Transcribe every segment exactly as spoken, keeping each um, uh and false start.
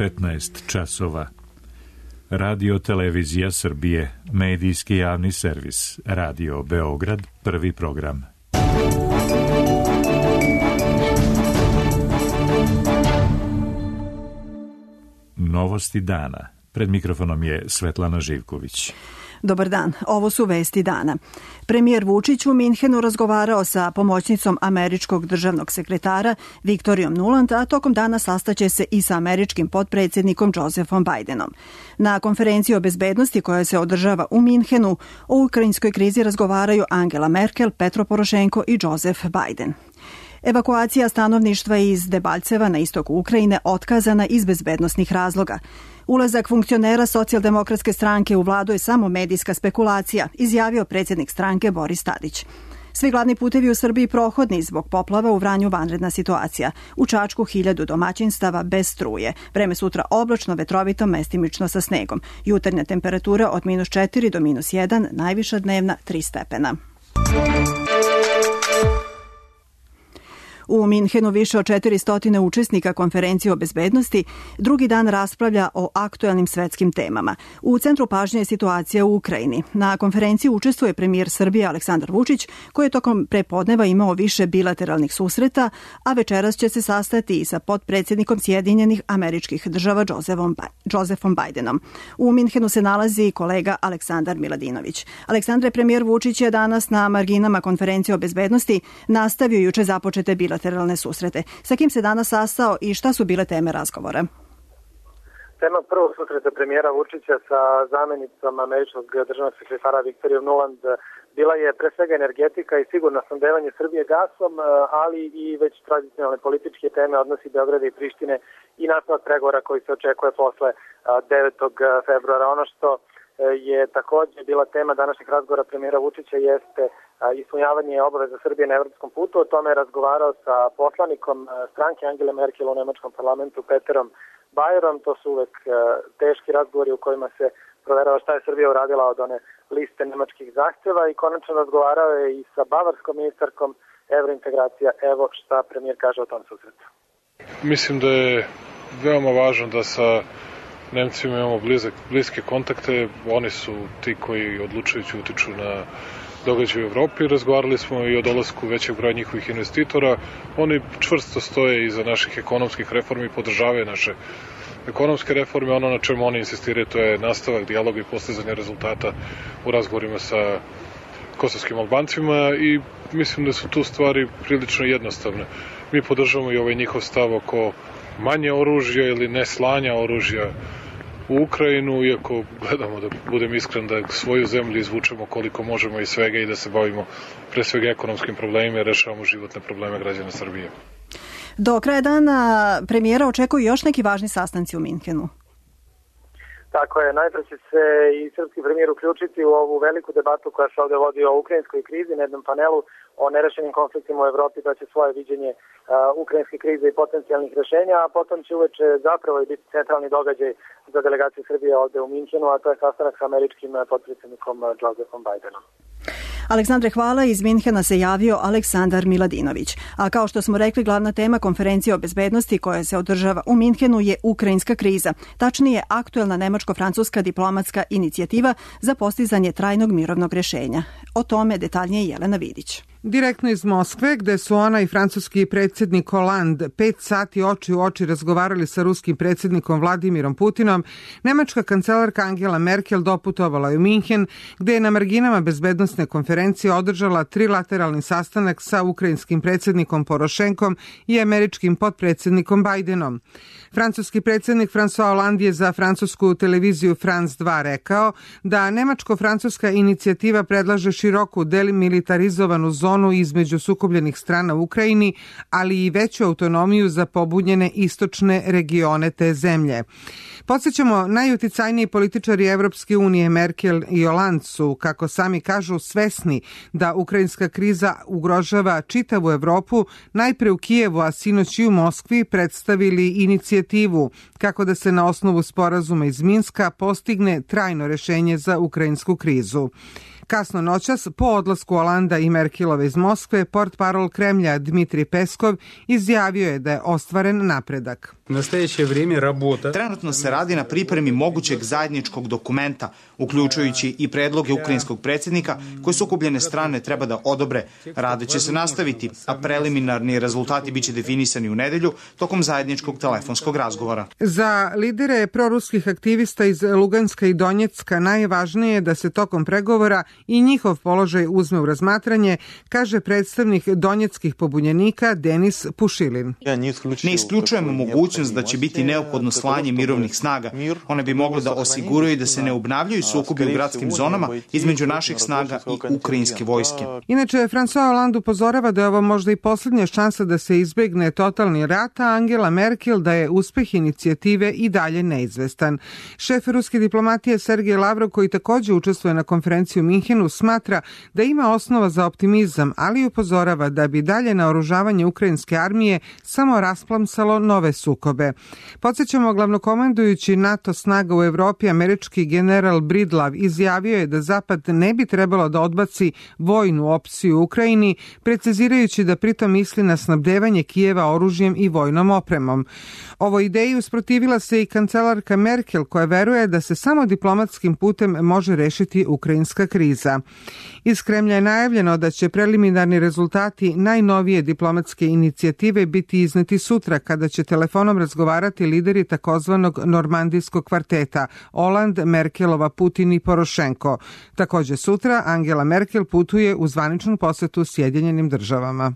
petnaest časova. Radio Televizija Srbije, medijski javni servis, Radio Beograd, prvi program. Novosti dana. Pred mikrofonom je Svetlana Živković. Dobar dan, ovo su vesti dana. Premijer Vučić u Minhenu razgovarao sa pomoćnicom američkog državnog sekretara Viktorijom Nuland, a tokom dana sastaće se i sa američkim potpredsjednikom Josephom Bidenom. Na konferenciji o bezbednosti koja se održava u Minhenu o ukrajinskoj krizi razgovaraju Angela Merkel, Petro Porošenko i Joseph Biden. Evakuacija stanovništva iz Debalceva na istoku Ukrajine otkazana iz bezbednosnih razloga. Ulazak funkcionera socijaldemokratske stranke u vladu je samo medijska spekulacija, izjavio predsjednik stranke Boris Tadić. Svi glavni putevi u Srbiji prohodni zbog poplava, u Vranju vanredna situacija. U Čačku hiljadu domaćinstava bez struje. Vreme sutra oblačno, vetrovito, mestimično sa snegom. Jutarnja temperatura od minus četiri do minus jedan, najviša dnevna tri stepena. U Minhenu više od četiristo učesnika konferencije o bezbednosti drugi dan raspravlja o aktuelnim svetskim temama. U centru pažnje je situacija u Ukrajini. Na konferenciji učestvuje premijer Srbije Aleksandar Vučić, koji je tokom prepodneva imao više bilateralnih susreta, a večeras će se sastati i sa potpredsjednikom Sjedinjenih Američkih Država Josephom Bidenom. U Minhenu se nalazi i kolega Aleksandar Miladinović. Aleksandre, premijer Vučić je danas na marginama konferencije o bezbednosti nastavio juče započete bilateralne bilateralne susrete. Sa kim se danas sastao i šta su bile teme razgovora? Tema prvog susreta premijera Vučića sa zamjenicom američkog državnog sekretara Viktorijom Nuland bila je pre svega energetika i sigurno snabdevanje Srbije gasom, ali i već tradicionalne političke teme odnosi Beograda i Prištine i nastavak pregovora koji se očekuje posle devetog februara. Ono što je također bila tema današnjeg razgovora premijera Vučića jeste ispunjavanje obaveza Srbije na evropskom putu. O tome je razgovarao sa poslanikom stranke Angele Merkel u nemačkom parlamentu Peterom Bajerom. To su uvek teški razgovori u kojima se proverava šta je Srbija uradila od one liste nemačkih zahtjeva i konačno razgovarao je i sa bavarskom ministarkom evrointegracija. Evo šta premijer kaže o tom susretu. Mislim da je veoma važno da sa Nemcima imamo blizak, bliske kontakte. Oni su ti koji odlučujući utiču na događaje u Evropi. Razgovarali smo i o dolasku većeg broja njihovih investitora. Oni čvrsto stoje iza naših ekonomskih reformi i podržavaju naše ekonomske reforme. Ono na čemu oni insistiraju to je nastavak dijaloga i postizanje rezultata u razgovorima sa kosovskim Albancima i mislim da su tu stvari prilično jednostavne. Mi podržavamo i ovaj njihov stav oko manje oružja ili ne slanja oružja u Ukrajinu, iako gledamo, da budem iskren, da svoju zemlju izvučemo koliko možemo iz svega i da se bavimo pre svega ekonomskim problemima i rešavamo životne probleme građana Srbije. Do kraja dana premijera očekuju još neki važni sastanci u Minhenu. Tako je, najpre će se i srpski premijer uključiti u ovu veliku debatu koja se ovdje vodi o ukrajinskoj krizi na jednom panelu o nerešenim konfliktima u Evropi, da će svoje viđenje uh, ukrajinske krize i potencijalnih rešenja, a potom će uveče zapravo i biti centralni događaj za delegaciju Srbije ovdje u Minhenu, a to je sastanak sa američkim potpredsjednikom Josephom Bidenom. Aleksandre, hvala. Iz Minhena se javio Aleksandar Miladinović. A kao što smo rekli, glavna tema konferencije o bezbednosti koja se održava u Minhenu je ukrajinska kriza. Tačnije, aktuelna nemačko-francuska diplomatska inicijativa za postizanje trajnog mirovnog rješenja. O tome detaljnije Jelena Vidić. Direktno iz Moskve, gde su ona i francuski predsjednik Hollande pet sati oči u oči razgovarali sa ruskim predsjednikom Vladimirom Putinom, nemačka kancelarka Angela Merkel doputovala je u Minhen, gde je na marginama bezbednosne konferencije održala trilateralni sastanak sa ukrajinskim predsjednikom Porošenkom i američkim potpredsjednikom Bidenom. Francuski predsjednik François Hollande je za francusku televiziju France dva rekao da nemačko-francuska inicijativa predlaže široku demilitarizovanu zonu između sukobljenih strana u Ukrajini, ali i veću autonomiju za pobunjene istočne regione te zemlje. Podsjećamo, najuticajniji političari Evropske unije Merkel i Hollande su, kako sami kažu, svesni da ukrajinska kriza ugrožava čitavu Evropu, najpre u Kijevu, a sinoć i u Moskvi predstavili inicijativu kako da se na osnovu sporazuma iz Minska postigne trajno rješenje za ukrajinsku krizu. Kasno noćas, po odlasku Olanda i Merkelove iz Moskve, portparol Kremlja Dmitrij Peskov izjavio je da je ostvaren napredak. Trenutno se radi na pripremi mogućeg zajedničkog dokumenta, uključujući i predloge ukrajinskog predsjednika koje sukobljene strane treba da odobre. Rade će se nastaviti, a preliminarni rezultati biće definisani u nedelju tokom zajedničkog telefonskog razgovora. Za lidere proruskih aktivista iz Luganska i Donjecka najvažnije je da se tokom pregovora i njihov položaj uzme u razmatranje, kaže predstavnik donjeckih pobunjenika Denis Pušilin. Ne isključujemo mogućnost da će biti neophodno slanje mirovnih snaga. One bi mogle da osiguraju da se ne obnavljaju sukobi u gradskim zonama između naših snaga i ukrajinske vojske. Inače, François Hollande upozorava da je ovo možda i posljednja šansa da se izbegne totalni rat, a Angela Merkel da je uspeh inicijative i dalje neizvestan. Šef ruske diplomatije Sergej Lavrov, koji također učestvuje na konferenciji u Minhenu, smatra da ima osnova za optimizam, ali upozorava da bi dalje naoružavanje ukrajinske armije samo rasplamsalo nove sukobe. Podsjećamo, glavnokomandujući NATO snaga u Evropi, američki general Bridlav izjavio je da Zapad ne bi trebalo da odbaci vojnu opciju u Ukrajini, precizirajući da pritom misli na snabdevanje Kijeva oružjem i vojnom opremom. Ovoj ideji usprotivila se i kancelarka Merkel, koja veruje da se samo diplomatskim putem može rešiti ukrajinska kriza. Iz Kremlja je najavljeno da će preliminarni rezultati najnovije diplomatske inicijative biti izneti sutra, kada će telefonom razgovarati lideri takozvanog normandijskog kvarteta Oland, Merkelova, Putin i Porošenko. Također sutra Angela Merkel putuje u zvaničnu posetu Sjedinjenim državama.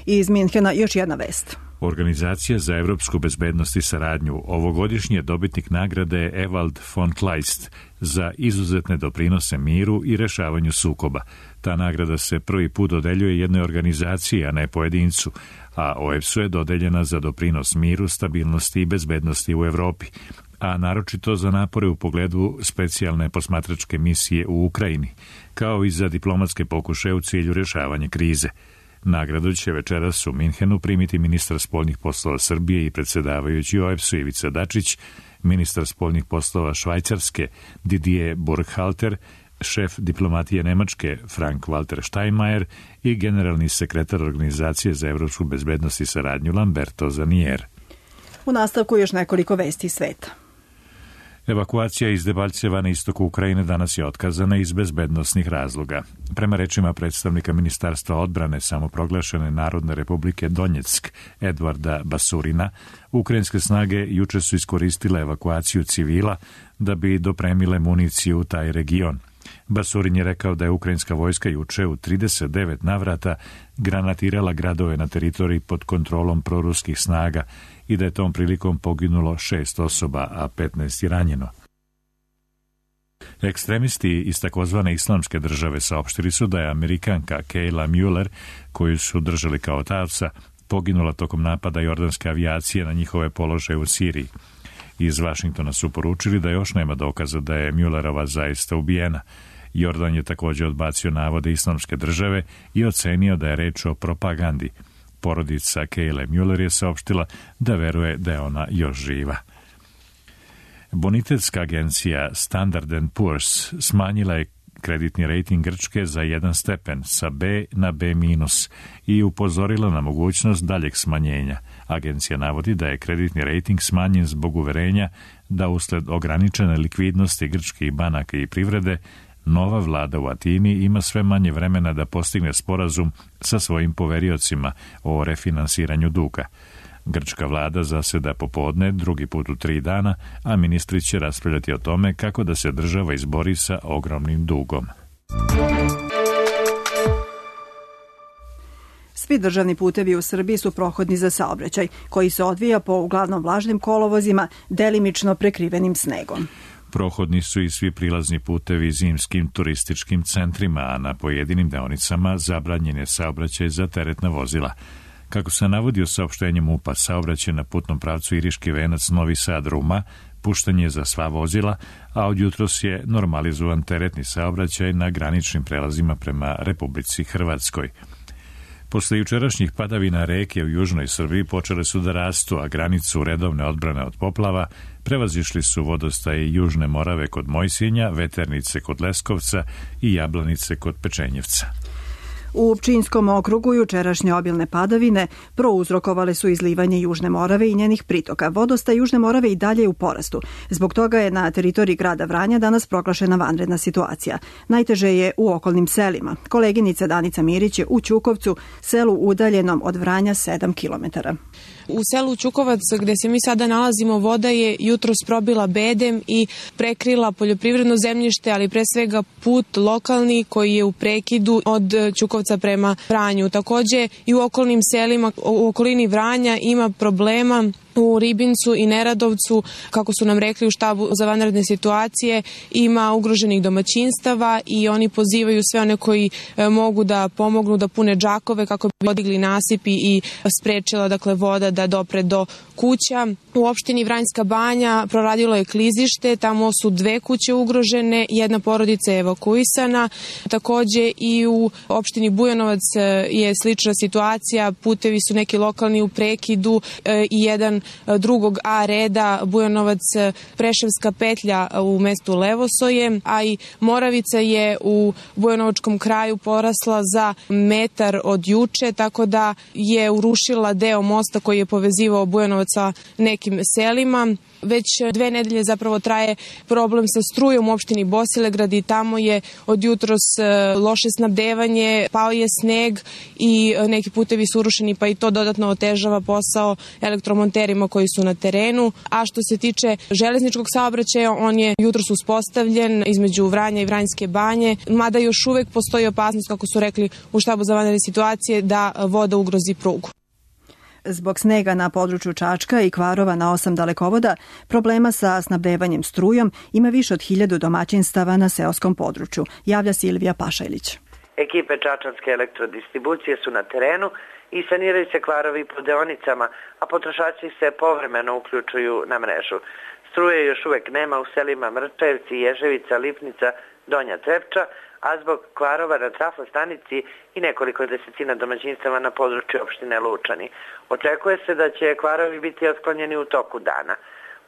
Iz Minhena još jedna vest. Organizacija za evropsku bezbednost i saradnju ovogodišnji je dobitnik nagrade Ewald von Kleist za izuzetne doprinose miru i rešavanju sukoba. Ta nagrada se prvi put dodeljuje jednoj organizaciji, a ne pojedincu, a O E B S-u je dodeljena za doprinos miru, stabilnosti i bezbednosti u Evropi, a naročito za napore u pogledu specijalne posmatračke misije u Ukrajini, kao i za diplomatske pokušaje u cilju rešavanja krize. Nagradu će večeras u Minhenu primiti ministar spoljnih poslova Srbije i predsjedavajući O E B S-u Ivica Dačić, ministar spoljnih poslova Švajcarske Didier Burkhalter, šef diplomatije Nemačke Frank-Walter Steinmeier i generalni sekretar Organizacije za evropsku bezbednost i saradnju Lamberto Zanier. U nastavku još nekoliko vesti sveta. Evakuacija iz Debalceva na istoku Ukrajine danas je otkazana iz bezbednosnih razloga. Prema rečima predstavnika Ministarstva odbrane samoproglašene Narodne republike Donjeck, Edvarda Basurina, ukrajinske snage juče su iskoristile evakuaciju civila da bi dopremile municiju u taj region. Basurin je rekao da je ukrajinska vojska juče u trideset devet navrata granatirala gradove na teritoriji pod kontrolom proruskih snaga i da je tom prilikom poginulo šest osoba, a petnaest je ranjeno. Ekstremisti iz takozvane islamske države saopštili su da je Amerikanka Kayla Mueller, koju su držali kao taoca, poginula tokom napada jordanske avijacije na njihove položaje u Siriji. Iz Vašingtona su poručili da još nema dokaza da je Muellerova zaista ubijena. Jordan je također odbacio navode islamske države i ocenio da je reč o propagandi. Porodica Kayle Mueller je saopštila da veruje da je ona još živa. Bonitetska agencija Standard and Poor's smanjila je kreditni rejting Grčke za jedan stepen sa B na B minus i upozorila na mogućnost daljeg smanjenja. Agencija navodi da je kreditni rejting smanjen zbog uverenja da usled ograničene likvidnosti grčkih banaka i privrede nova vlada u Atini ima sve manje vremena da postigne sporazum sa svojim poveriocima o refinansiranju duga. Grčka vlada zaseda popodne drugi put u tri dana, a ministri će raspravljati o tome kako da se država izbori sa ogromnim dugom. Svi državni putevi u Srbiji su prohodni za saobraćaj, koji se odvija po uglavnom vlažnim kolovozima, delimično prekrivenim snegom. Prohodni su i svi prilazni putevi zimskim turističkim centrima, a na pojedinim deonicama zabranjen je saobraćaj za teretna vozila. Kako se navodi u saopštenju MUP-a, saobraćaj na putnom pravcu Iriški venac Novi Sad Ruma pušten je za sva vozila, a od jutros je normalizovan teretni saobraćaj na graničnim prelazima prema Republici Hrvatskoj. Posle jučerašnjih padavina reke u južnoj Srbiji počele su da rastu, a granicu redovne odbrane od poplava prevazišli su vodostaje Južne Morave kod Mojsinja, Veternice kod Leskovca i Jablanice kod Pečenjevca. U Pčinjskom okrugu jučerašnje obilne padavine prouzrokovale su izlivanje Južne Morave i njenih pritoka. Vodostaj Južne Morave i dalje je u porastu. Zbog toga je na teritoriji grada Vranja danas proglašena vanredna situacija. Najteže je u okolnim selima. Koleginica Danica Mirić je u Ćukovcu, selu udaljenom od Vranja sedam kilometara. U selu Ćukovac, gde se mi sada nalazimo, voda je jutros probila bedem i prekrila poljoprivredno zemljište, ali pre svega put lokalni koji je u prekidu od Ćukovca prema Vranju. Takođe i u okolnim selima, u okolini Vranja ima problema. U Ribincu i Neradovcu, kako su nam rekli u štabu za vanredne situacije, ima ugroženih domaćinstava i oni pozivaju sve one koji mogu da pomognu da pune džakove kako bi podigli nasipi i sprečila dakle voda da dopre do kuća. U opštini Vranjska Banja proradilo je klizište, tamo su dve kuće ugrožene, jedna porodica je evakuisana. Takođe i u opštini Bujanovac je slična situacija, putevi su neki lokalni u prekidu i jedan drugog A reda Bujanovac Preševska petlja u mestu Levosoje, a i Moravica je u Bujanovačkom kraju porasla za metar od juče, tako da je urušila deo mosta koji je povezivao Bujanovac sa nekim selima. Već dve nedelje zapravo traje problem sa strujom u opštini Bosilegrad i tamo je od jutros loše snabdevanje, pao je sneg i neki putevi su urušeni, pa i to dodatno otežava posao elektromonterima koji su na terenu. A što se tiče železničkog saobraćaja, on je jutros uspostavljen između Vranja i Vranjske Banje, mada još uvek postoji opasnost, kako su rekli u štabu za vanredne situacije, da voda ugrozi prugu. Zbog snega na području Čačka i kvarova na osam dalekovoda, problema sa snabdevanjem strujom ima više od hiljadu domaćinstava na seoskom području, javlja Silvija Pašajlić. Ekipe Čačanske elektrodistribucije su na terenu i saniraju se kvarovi po deonicama, a potrošači se povremeno uključuju na mrežu. Struje još uvek nema u selima Mrčajevci, Ježevica, Lipnica, Donja Trepča, a zbog kvarova na trafostanici i nekoliko desetina domaćinstava na području opštine Lučani. Očekuje se da će kvarovi biti otklonjeni u toku dana.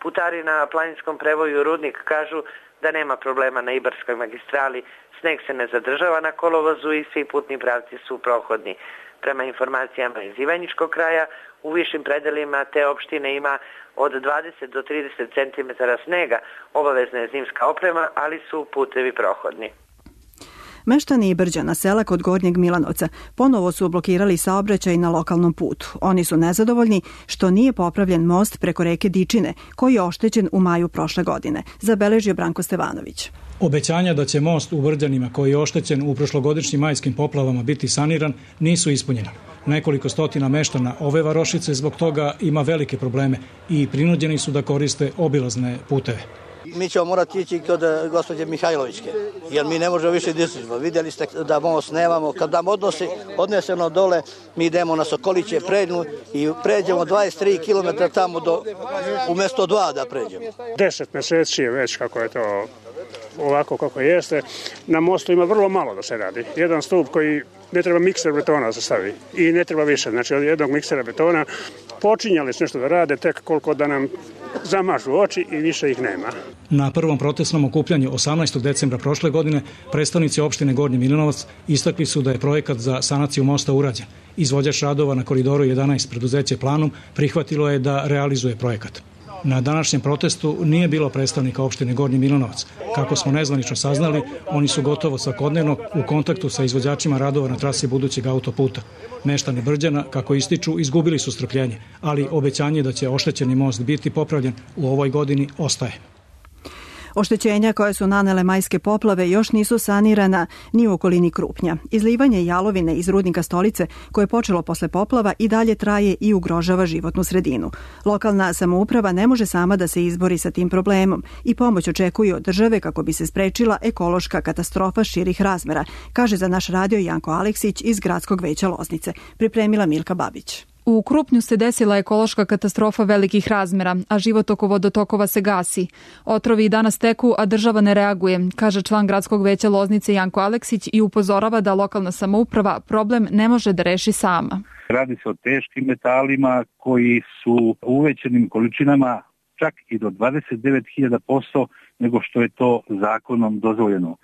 Putari na planinskom prevoju Rudnik kažu da nema problema na Ibarskoj magistrali, sneg se ne zadržava na kolovozu i svi putni pravci su prohodni. Prema informacijama iz Ivanjičkog kraja, u višim predelima te opštine ima od dvadeset do trideset centimetara snega, obavezna je zimska oprema, ali su putevi prohodni. Meštani Ibrđana, sela kod Gornjeg Milanovca, ponovo su blokirali saobraćaj na lokalnom putu. Oni su nezadovoljni što nije popravljen most preko reke Dičine, koji je oštećen u maju prošle godine, zabeležio Branko Stevanović. Obećanja da će most u Brđanima, koji je oštećen u prošlogodišnjim majskim poplavama, biti saniran, nisu ispunjena. Nekoliko stotina meštana ove varošice zbog toga ima velike probleme i prinuđeni su da koriste obilazne puteve. Mi ćemo morati ići kod gospođe Mihajlovićke, jer mi ne možemo više disližimo. Vidjeli ste da most nemamo. Kad nam odnosi, odneseno dole, mi idemo na Sokoliće, prednju i pređemo dvadeset tri kilometra tamo do, umjesto dva da pređemo. Deset meseci je već kako je to ovako kako jeste. Na mostu ima vrlo malo da se radi. Jedan stup koji ne treba mikser betona da se stavi i ne treba više. Znači od jednog miksera betona počinjali su nešto da rade, tek koliko da nam zamažu oči i više ih nema. Na prvom protestnom okupljanju osamnaestog decembra prošle godine predstavnici opštine Gornji Milanovac istakli su da je projekat za sanaciju mosta urađen. Izvođač radova na koridoru jedanaest preduzeće Planum prihvatilo je da realizuje projekat. Na današnjem protestu nije bilo predstavnika opštine Gornji Milanovac. Kako smo nezvanično saznali, oni su gotovo svakodnevno u kontaktu sa izvođačima radova na trasi budućeg autoputa. Meštani Brđana, kako ističu, izgubili su strpljenje, ali obećanje da će oštećeni most biti popravljen u ovoj godini ostaje. Oštećenja koje su nanele majske poplave još nisu sanirana ni u okolini Krupnja. Izlivanje jalovine iz rudnika Stolice, koje je počelo posle poplava, i dalje traje i ugrožava životnu sredinu. Lokalna samouprava ne može sama da se izbori sa tim problemom i pomoć očekuje od države kako bi se sprečila ekološka katastrofa širih razmera, kaže za naš radio Janko Aleksić iz Gradskog veća Loznice. Pripremila Milka Babić. U Krupnju se desila ekološka katastrofa velikih razmera, a život oko vodotokova se gasi. Otrovi i danas teku, a država ne reaguje, kaže član gradskog veća Loznice Janko Aleksić i upozorava da lokalna samouprava problem ne može da reši sama. Radi se o teškim metalima koji su u uvećanim količinama čak i do dvadeset devet hiljada posto nego što je to zakonom dozvoljeno.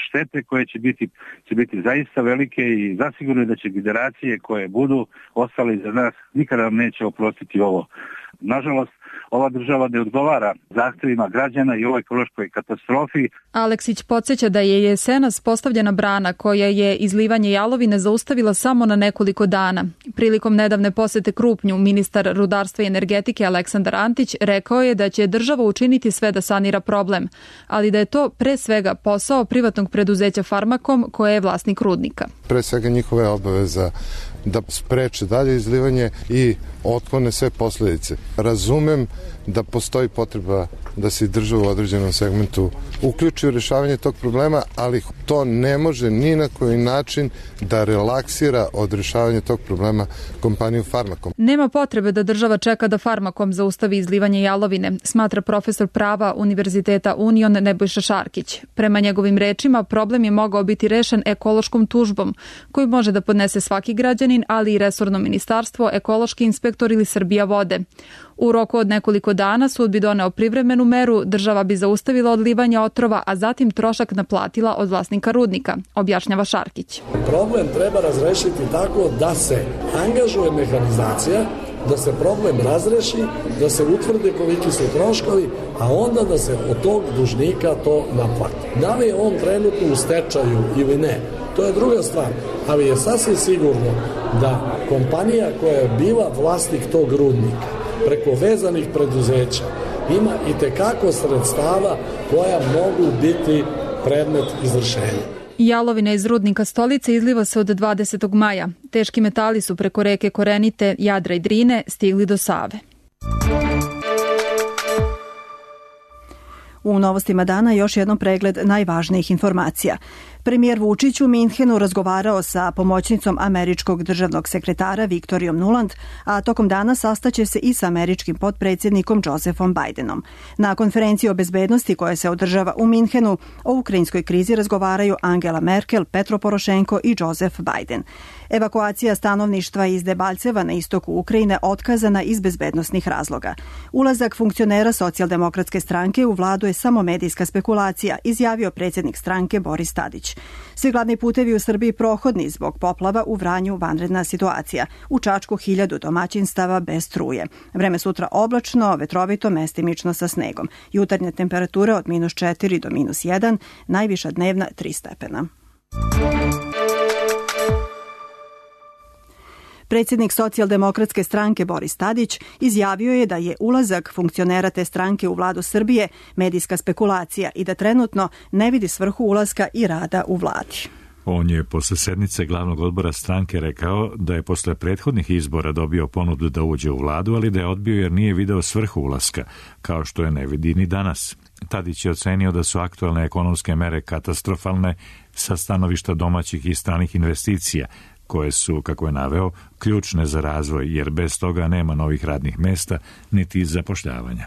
Štete koje će biti, će biti zaista velike i zasigurno je da će generacije koje budu ostale iza nas nikada nam neće oprostiti ovo. Nažalost, ova država ne odgovara zahtevima građana i ovoj ekološkoj katastrofi. Aleksić podsjeća da je jesenas postavljena brana koja je izlivanje jalovine zaustavila samo na nekoliko dana. Prilikom nedavne posete Krupnju, ministar rudarstva i energetike Aleksandar Antić rekao je da će država učiniti sve da sanira problem, ali da je to pre svega posao privatnog preduzeća Farmakom koje je vlasnik rudnika. Pre svega njihove obaveza da spreče dalje izlivanje i otklone sve posljedice. Razumem da postoji potreba da se država u određenom segmentu uključi u rješavanje tog problema, ali to ne može ni na koji način da relaksira od rješavanja tog problema kompaniju Farmakom. Nema potrebe da država čeka da Farmakom zaustavi izlivanje jalovine, smatra profesor prava Univerziteta Union Nebojša Šarkić. Prema njegovim rečima, problem je mogao biti rešen ekološkom tužbom, koju može da podnese svaki građanin, ali i resorno ministarstvo, ekološki inspektor ili Srbija vode. U roku od nekoliko dana sud bi doneo privremenu meru, država bi zaustavila odlivanje otrova, a zatim trošak naplatila od vlasnika rudnika, objašnjava Šarkić. Problem treba razrešiti tako da se angažuje mehanizacija, da se problem razreši, da se utvrde koliki su troškovi, a onda da se od tog dužnika to naplati. Da li je on trenutno u stečaju ili ne, to je druga stvar, ali je sasvim sigurno da kompanija koja je bila vlasnik tog rudnika preko vezanih preduzeća ima i tekako sredstava koja mogu biti predmet izvršenja. Jalovina iz rudnika Stolice izliva se od dvadesetog maja. Teški metali su preko reke Korenite, Jadra i Drine stigli do Save. U novostima dana još jednom pregled najvažnijih informacija. Premijer Vučić u Minhenu razgovarao sa pomoćnicom američkog državnog sekretara Viktorijom Nuland, a tokom dana sastaće se i sa američkim potpredsjednikom Josephom Bidenom. Na konferenciji o bezbednosti koja se održava u Minhenu o ukrajinskoj krizi razgovaraju Angela Merkel, Petro Porošenko i Joseph Biden. Evakuacija stanovništva iz Debalceva na istoku Ukrajine otkazana iz bezbednosnih razloga. Ulazak funkcionera Socijaldemokratske stranke u vladu je samo medijska spekulacija, izjavio predsjednik stranke Boris Tadić. Svi glavni putevi u Srbiji prohodni zbog poplava, u Vranju vanredna situacija. U Čačku hiljadu domaćinstava bez struje. Vreme sutra oblačno, vetrovito, mestimično sa snegom. Jutarnje temperature od minus četiri do minus jedan, najviša dnevna tri stepena. Predsjednik Socijaldemokratske stranke Boris Tadić izjavio je da je ulazak funkcionera te stranke u vladu Srbije medijska spekulacija i da trenutno ne vidi svrhu ulaska i rada u vladi. On je posle sednice glavnog odbora stranke rekao da je posle prethodnih izbora dobio ponudu da uđe u vladu, ali da je odbio jer nije video svrhu ulaska, kao što je ne vidi ni danas. Tadić je ocenio da su aktualne ekonomske mere katastrofalne sa stanovišta domaćih i stranih investicija, koje su, kako je naveo, ključne za razvoj, jer bez toga nema novih radnih mesta niti zapošljavanja.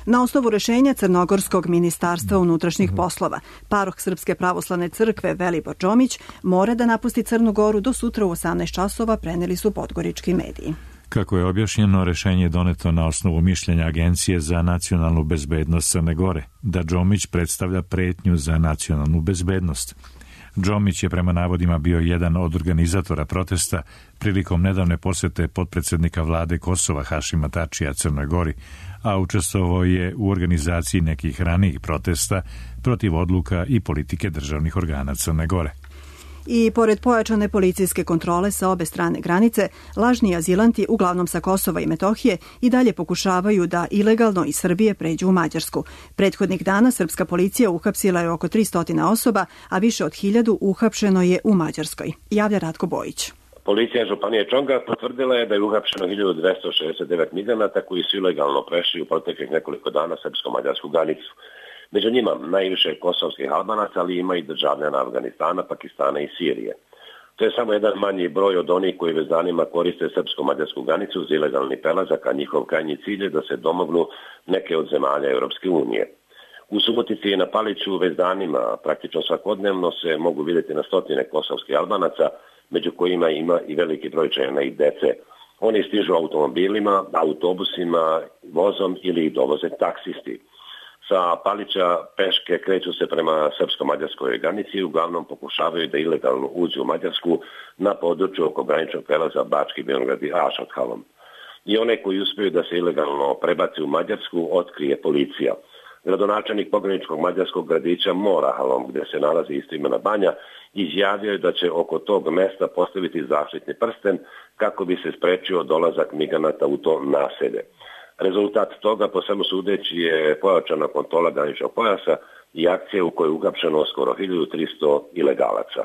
Na osnovu rešenja Crnogorskog ministarstva unutrašnjih poslova, paroh Srpske pravoslavne crkve Velibor Džomić mora da napusti Crnu Goru do sutra u osamnaest časova, preneli su podgorički mediji. Kako je objašnjeno, rešenje je doneto na osnovu mišljenja Agencije za nacionalnu bezbednost Crne Gore, da Džomić predstavlja pretnju za nacionalnu bezbednost. Džomić je prema navodima bio jedan od organizatora protesta prilikom nedavne posete potpredsednika vlade Kosova Hašima Tačija Crnoj Gori, a učestvovao je u organizaciji nekih ranijih protesta protiv odluka i politike državnih organa Crne Gore. I pored pojačane policijske kontrole sa obe strane granice, lažni azilanti, uglavnom sa Kosova i Metohije, i dalje pokušavaju da ilegalno iz Srbije pređu u Mađarsku. Prethodnih dana srpska policija uhapsila je oko tristo osoba, a više od hiljadu uhapšeno je u Mađarskoj. Javlja Ratko Bojić. Policija Županije Čonga potvrdila je da je uhapšeno hiljadu dvesta šezdeset devet migranata koji su ilegalno prešli u proteklih nekoliko dana srpsko-mađarsku granicu. Među njima najviše kosovskih Albanaca, ali ima i državljana Afganistana, Pakistana i Sirije. To je samo jedan manji broj od onih koji već danima koriste srpsko-mađarsku granicu za ilegalni prelazak, a njihov krajnji cilj je da se domognu neke od zemalja Europske unije. U Subotici i na Paliću već danima, praktično svakodnevno se mogu vidjeti na stotine kosovskih Albanaca, među kojima ima i veliki broj žena i dece. Oni stižu automobilima, autobusima, vozom ili ih dovoze taksisti. Sa Palića peške kreću se prema srpsko-mađarskoj granici i uglavnom pokušavaju da ilegalno uđu u Mađarsku na području oko graničnog prelaza Bački Beograd i Ašothalom. I one koji uspiju da se ilegalno prebaci u Mađarsku otkrije policija. Gradonačelnik pograničkog mađarskog gradića Morahalom, gde se nalazi istoimena banja, izjavio je da će oko tog mesta postaviti zaštitni prsten kako bi se sprečio dolazak migranata u to naselje. Rezultat toga, po svemu sudeći, je pojačana kontrola graničnog pojasa i akcije u kojoj je uhapšeno skoro hiljadu tristo ilegalaca.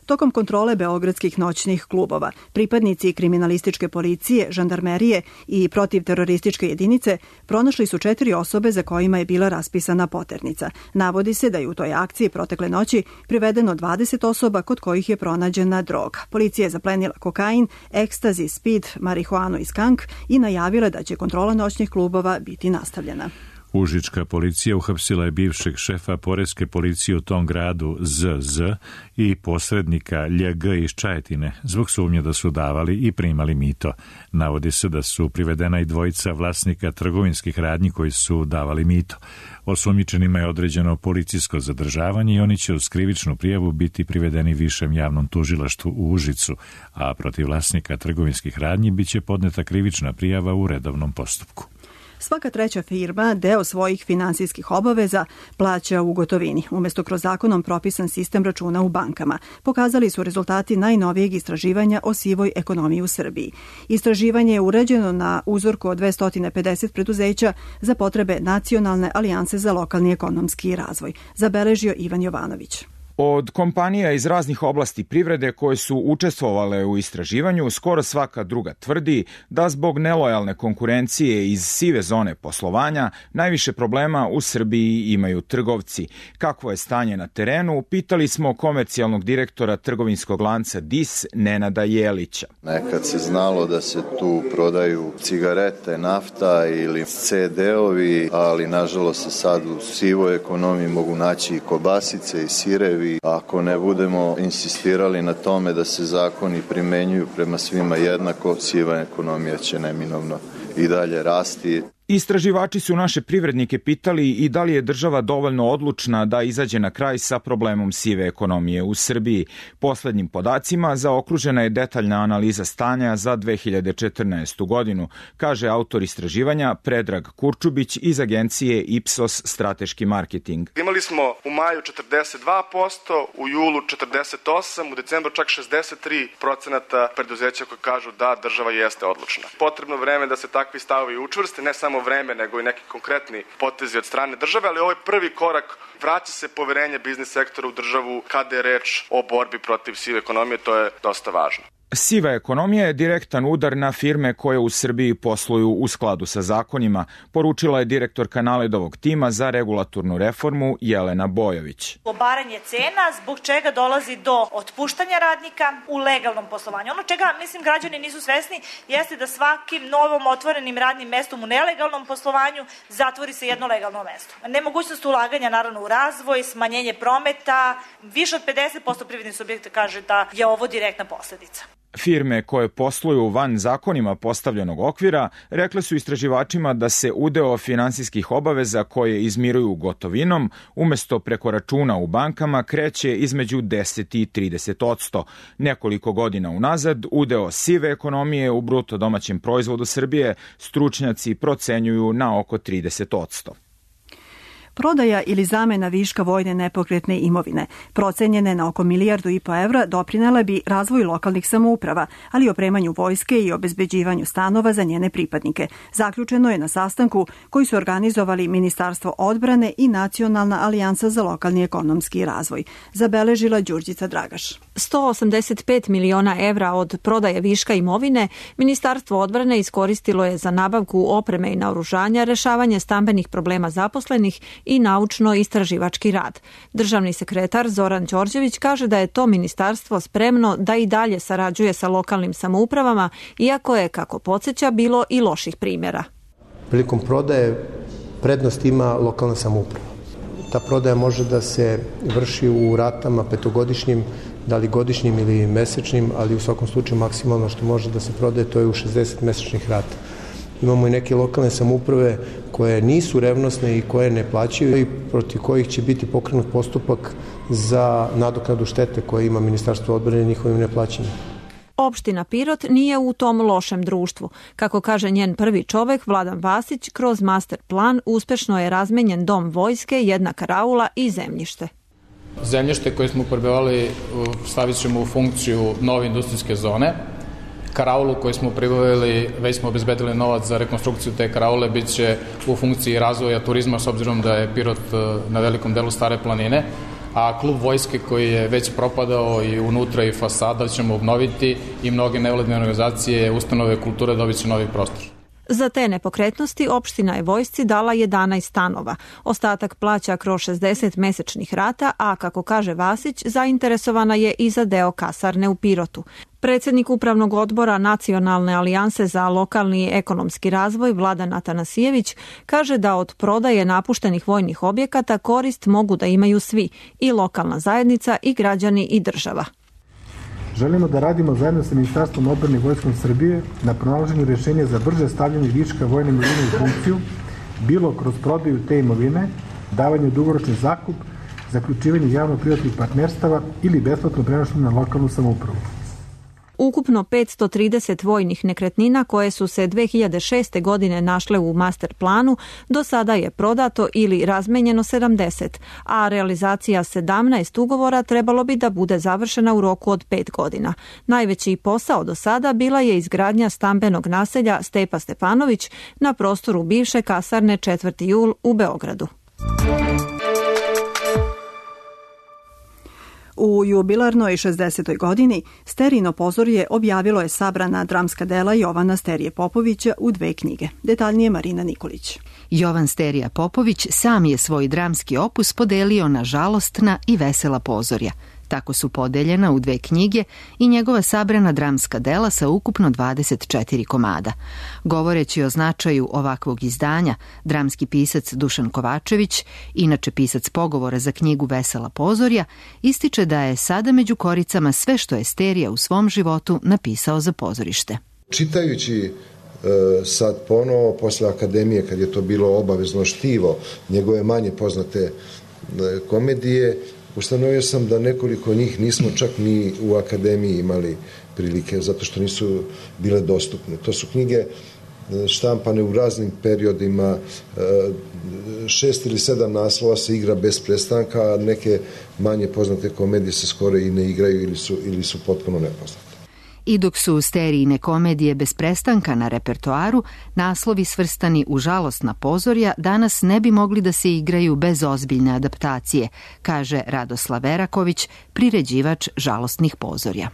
Tokom kontrole beogradskih noćnih klubova, pripadnici kriminalističke policije, žandarmerije i protivterorističke jedinice pronašli su četiri osobe za kojima je bila raspisana poternica. Navodi se da je u toj akciji protekle noći privedeno dvadeset osoba kod kojih je pronađena droga. Policija je zaplenila kokain, ekstazi, speed, marihuanu i skank i najavila da će kontrola noćnih klubova biti nastavljena. Užička policija uhapsila je bivšeg šefa poreske policije u tom gradu Z Z i posrednika Lj G iz Čajetine zbog sumnje da su davali i primali mito. Navodi se da su privedena i dvojica vlasnika trgovinskih radnji koji su davali mito. Osumnjičenima je određeno policijsko zadržavanje i oni će uz krivičnu prijavu biti privedeni višem javnom tužilaštvu u Užicu, a protiv vlasnika trgovinskih radnji biće podneta krivična prijava u redovnom postupku. Svaka treća firma deo svojih finansijskih obaveza plaća u gotovini, umjesto kroz zakonom propisan sistem računa u bankama. Pokazali su rezultati najnovijeg istraživanja o sivoj ekonomiji u Srbiji. Istraživanje je urađeno na uzorku od dvesta pedeset preduzeća za potrebe Nacionalne alijanse za lokalni ekonomski razvoj, zabeležio Ivan Jovanović. Od kompanija iz raznih oblasti privrede koje su učestvovale u istraživanju, skoro svaka druga tvrdi da zbog nelojalne konkurencije iz sive zone poslovanja najviše problema u Srbiji imaju trgovci. Kakvo je stanje na terenu, pitali smo komercijalnog direktora trgovinskog lanca D I S Nenada Jelića. Nekad se znalo da se tu prodaju cigarete, nafta ili C D-ovi, ali nažalost se sad u sivoj ekonomiji mogu naći i kobasice i sirevi. Ako ne budemo insistirali na tome da se zakoni primenjuju prema svima jednako, siva ekonomija će neminovno i dalje rasti. Istraživači su naše privrednike pitali i da li je država dovoljno odlučna da izađe na kraj sa problemom sive ekonomije u Srbiji. Poslednjim podacima zaokružena je detaljna analiza stanja za dve hiljade četrnaestu. godinu, kaže autor istraživanja Predrag Kurčubić iz agencije Ipsos Strateški marketing. Imali smo u maju četrdeset dva posto, u julu četrdeset osam posto, u decembru čak šezdeset tri posto preduzeća koji kažu da država jeste odlučna. Potrebno vreme da se takvi stavovi učvrste, ne samo vreme, nego i neki konkretni potezi od strane države, ali ovo je prvi korak, vraća se poverenje biznis sektora u državu kada je reč o borbi protiv sive ekonomije, to je dosta važno. Siva ekonomija je direktan udar na firme koje u Srbiji posluju u skladu sa zakonima, poručila je direktorka Naledovog tima za regulatornu reformu Jelena Bojović. Obaranje cena, zbog čega dolazi do otpuštanja radnika u legalnom poslovanju. Ono čega, mislim, građani nisu svesni, jeste da svakim novom otvorenim radnim mestom u nelegalnom poslovanju zatvori se jedno legalno mesto. Nemogućnost ulaganja, naravno, u razvoj, smanjenje prometa, više od pedeset posto privrednih subjekta kaže da je ovo direktna posledica. Firme koje posluju van zakonima postavljenog okvira rekle su istraživačima da se udeo finansijskih obaveza koje izmiruju gotovinom umesto preko računa u bankama kreće između deset i trideset odsto. Nekoliko godina unazad udeo sive ekonomije u bruto domaćem proizvodu Srbije stručnjaci procenjuju na oko trideset odsto. Prodaja ili zamena viška vojne nepokretne imovine, procenjene na oko milijardu i po evra, doprinela bi razvoju lokalnih samouprava, ali i opremanju vojske i obezbeđivanju stanova za njene pripadnike. Zaključeno je na sastanku koji su organizovali Ministarstvo odbrane i Nacionalna alijansa za lokalni ekonomski razvoj, zabeležila Đurđica Dragaš. sto osamdeset pet miliona evra od prodaje viška imovine Ministarstvo odbrane iskoristilo je za nabavku opreme i naoružanja, rešavanje stambenih problema zaposlenih i naučno-istraživački rad. Državni sekretar Zoran Đorđević kaže da je to ministarstvo spremno da i dalje sarađuje sa lokalnim samoupravama, iako je, kako podsjeća, bilo i loših primjera. Prilikom prodaje prednost ima lokalna samouprava. Ta prodaja može da se vrši u ratama petogodišnjim, da li godišnjim ili mesečnim, ali u svakom slučaju maksimalno što može da se prodaje to je u šezdeset mesečnih rata. Imamo i neke lokalne samouprave koje nisu revnosne i koje ne plaćaju i protiv kojih će biti pokrenut postupak za nadoknadu štete koje ima Ministarstvo odbrane njihovim neplaćanjem. Opština Pirot nije u tom lošem društvu. Kako kaže njen prvi čovek, Vladan Vasić, kroz master plan uspešno je razmenjen dom vojske, jedna karaula i zemljište. Zemljište koje smo prebavili stavit ćemo u funkciju nove industrijske zone. Karaulu koju smo pribavili, već smo obezbedili novac za rekonstrukciju te karaule, bit će u funkciji razvoja turizma s obzirom da je Pirot na velikom delu Stare planine, a klub vojske koji je već propadao i unutra i fasada ćemo obnoviti i mnoge nevladine organizacije, ustanove kulture dobit će novi prostor. Za te nepokretnosti opština je vojsci dala jedanaest stanova. Ostatak plaća kroz šezdeset mesečnih rata, a kako kaže Vasić, zainteresovana je i za deo kasarne u Pirotu. Predsednik Upravnog odbora Nacionalne alijanse za lokalni i ekonomski razvoj Vladan Atanasijević kaže da od prodaje napuštenih vojnih objekata korist mogu da imaju svi, i lokalna zajednica i građani i država. Želimo da radimo zajedno sa Ministarstvom odbrane i Vojskom Srbije na pronalaženju rješenja za brže stavljanje viška vojne imovine u funkciju, bilo kroz prodaju te imovine, davanje u dugoročni zakup, zaključivanje javno-privatnih partnerstava ili besplatno prenošenje na lokalnu samoupravu. Ukupno petsto trideset vojnih nekretnina koje su se dve hiljade šeste. godine našle u master planu, do sada je prodato ili razmenjeno sedamdeset, a realizacija sedamnaest ugovora trebalo bi da bude završena u roku od pet godina. Najveći posao do sada bila je izgradnja stambenog naselja Stepa Stepanović na prostoru bivše kasarne četvrti jul u Beogradu. U jubilarnoj šezdesetoj godini Sterijino pozorje objavilo je sabrana dramska dela Jovana Sterije Popovića u dve knjige. Detaljnije Marina Nikolić. Jovan Sterija Popović sam je svoj dramski opus podelio na žalostna i vesela pozorja. Tako su podeljena u dve knjige i njegova sabrana dramska dela sa ukupno dvadeset četiri komada. Govoreći o značaju ovakvog izdanja, dramski pisac Dušan Kovačević, inače pisac pogovora za knjigu Vesela pozorja, ističe da je sada među koricama sve što je Sterija u svom životu napisao za pozorište. Čitajući e, sad ponovo, posle akademije, kad je to bilo obavezno štivo, njegove manje poznate e, komedije, ustanovio sam da nekoliko njih nismo čak ni u akademiji imali prilike, zato što nisu bile dostupne. To su knjige štampane u raznim periodima, šest ili sedam naslova se igra bez prestanka, a neke manje poznate komedije se skoro i ne igraju ili su, ili su potpuno nepoznate. I dok su Sterijine komedije bez prestanka na repertoaru, naslovi svrstani u žalostna pozorja danas ne bi mogli da se igraju bez ozbiljne adaptacije, kaže Radoslav Veraković, priređivač žalostnih pozorja.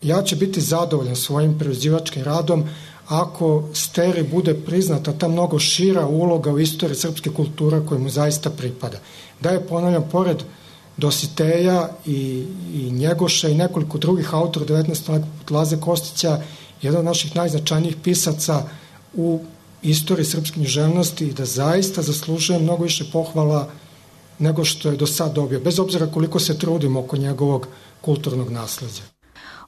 Ja ću biti zadovoljan svojim priređivačkim radom ako Steri bude priznata ta mnogo šira uloga u istoriji srpske kulture koja mu zaista pripada. Da je, ponavljam, pored Dositeja i, i Njegoša i nekoliko drugih autora devetnaestog veka, Laze Kostića, jedan od naših najznačajnijih pisaca u istoriji srpske književnosti i da zaista zaslužuje mnogo više pohvala nego što je do sad dobio, bez obzira koliko se trudimo oko njegovog kulturnog nasleđa.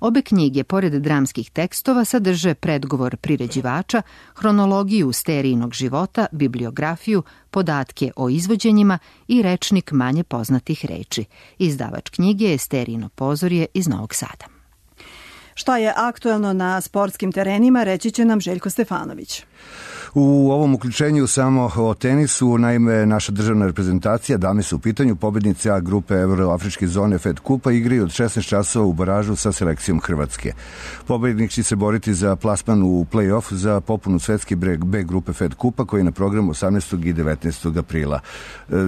Obe knjige, pored dramskih tekstova, sadrže predgovor priređivača, hronologiju Sterijinog života, bibliografiju, podatke o izvođenjima i rečnik manje poznatih reči. Izdavač knjige je Sterijino pozorje iz Novog Sada. Šta je aktuelno na sportskim terenima, reći će nam Željko Stefanović. U ovom uključenju samo o tenisu, naime naša državna reprezentacija, dame su u pitanju, pobednice A grupe Evroafričke zone Fed Kupa, igraju od šesnaest časova u baražu sa selekcijom Hrvatske. Pobednik će se boriti za plasman u play-off za popunu svetske B grupe Fed Kupa koji je na programu osamnaestog i devetnaestog aprila.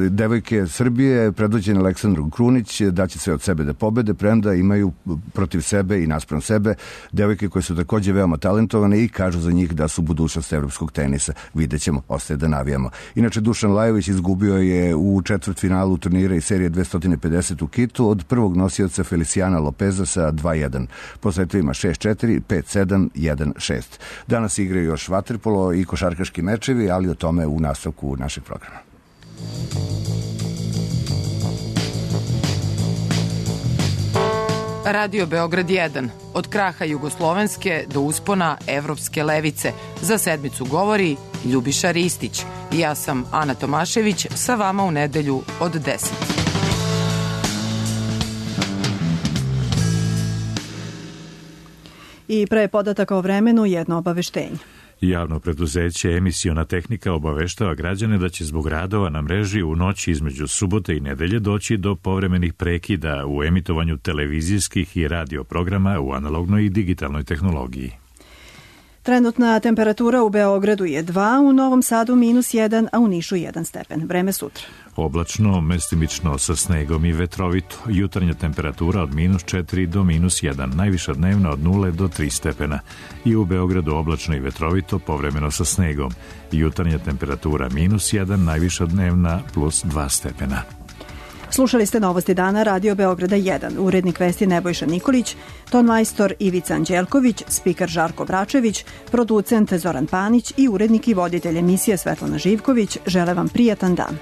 Devojke Srbije, predvođene Aleksandrom Krunić, daće sve od sebe da pobede, premda imaju protiv sebe i naspram sebe sebe, devojke koje su takođe veoma talentovane i kažu za njih da su budućnost evropskog tenisa. Vidjet ćemo, ostaje da navijamo. Inače, Dušan Lajović izgubio je u četvrtfinalu turnira i serije dvesta pedeset u Kitu od prvog nosioca Feliciana Lopeza sa dva jedan. Po setovima šest četiri, pet sedam, jedan šest. Danas igraju još vaterpolo i košarkaški mečevi, ali o tome u nastavku našeg programa. Radio Beograd jedan. Od kraha jugoslovenske do uspona evropske levice. Za sedmicu govori Ljubiša Ristić. Ja sam Ana Tomašević, sa vama u nedelju od deset. I pre podataka o vremenu jedno obaveštenje. Javno preduzeće Emisiona tehnika obaveštava građane da će zbog radova na mreži u noći između subote i nedelje doći do povremenih prekida u emitovanju televizijskih i radio programa u analognoj i digitalnoj tehnologiji. Trenutna temperatura u Beogradu je dva, u Novom Sadu minus jedan, a u Nišu jedan stepen. Vreme sutra. Oblačno, mestimično sa snegom i vetrovito. Jutarnja temperatura od minus četiri do minus jedan, najviša dnevna od nula do tri stepena. I u Beogradu oblačno i vetrovito, povremeno sa snegom. Jutarnja temperatura minus jedan, najviša dnevna plus dva stepena. Slušali ste Novosti dana Radio Beograda jedan, urednik vesti Nebojša Nikolić, tonmajstor Ivica Anđelković, spiker Žarko Bračević, producent Zoran Panić i urednik i voditelj emisije Svetlana Živković. Žele vam prijatan dan.